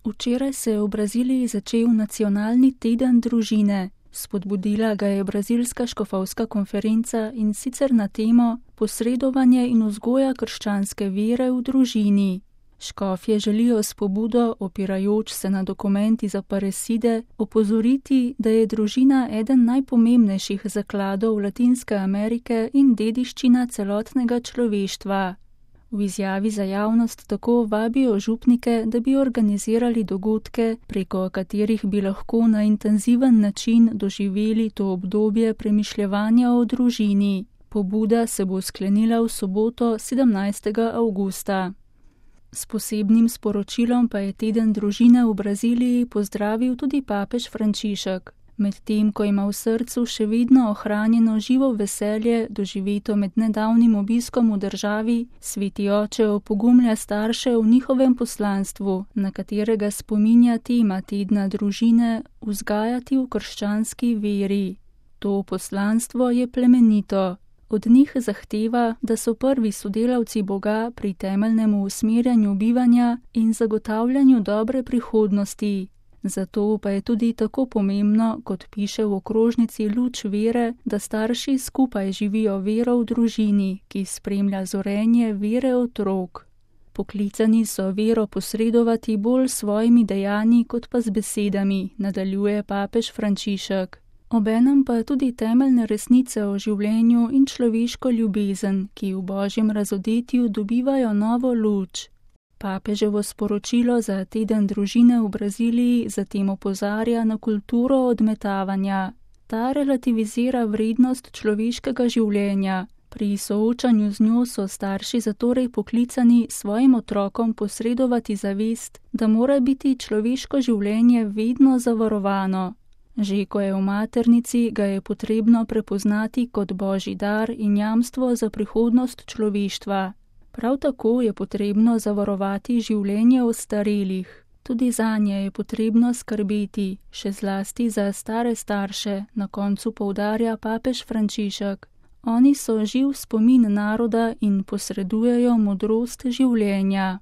Včeraj se je v Braziliji začel nacionalni teden družine. Spodbudila ga je brazilska škofovska konferenca, in sicer na temo posredovanje in vzgoja krščanske vere v družini. Škofje želijo s pobudo, opirajoč se na dokument iz Aparecide, opozoriti, da je družina eden najpomembnejših zakladov Latinske Amerike in dediščina celotnega človeštva. V izjavi za javnost tako vabijo župnike, da bi organizirali dogodke, preko katerih bi lahko na intenziven način doživeli to obdobje premišljevanja o družini. Pobuda se bo sklenila v soboto 17. avgusta. S posebnim sporočilom pa je teden družine v Braziliji pozdravil tudi papež Frančišek. Medtem ko ima v srcu še vedno ohranjeno živo veselje, doživeto med nedavnim obiskom v državi, sveti oče opogumlja starše v njihovem poslanstvu, na katerega spominja tema tedna družine, vzgajati v krščanski veri. To poslanstvo je plemenito. Od njih zahteva, da so prvi sodelavci Boga pri temeljnem usmerjanju bivanja in zagotavljanju dobre prihodnosti. Zato pa je tudi tako pomembno, kot piše v okrožnici Luč vere, da starši skupaj živijo vero v družini, ki spremlja zorenje vere otrok. Poklicani so vero posredovati bolj s svojimi dejanji kot pa z besedami, nadaljuje papež Frančišek. Obenem pa tudi temeljne resnice o življenju in človeško ljubezen, ki v božjem razodetju dobivajo novo luč. Papeževo sporočilo za teden družine v Braziliji zatem opozarja na kulturo odmetavanja. Ta relativizira vrednost človeškega življenja. Pri soočanju z njo so starši zatorej poklicani svojim otrokom posredovati zavest, da mora biti človeško življenje vedno zavarovano. Že ko je v maternici, ga je potrebno prepoznati kot božji dar in jamstvo za prihodnost človeštva. Prav tako je potrebno zavarovati življenje ostarelih. Tudi zanje je potrebno skrbeti, še zlasti za stare starše, na koncu poudarja papež Frančišek. Oni so živ spomin naroda in posredujejo modrost življenja.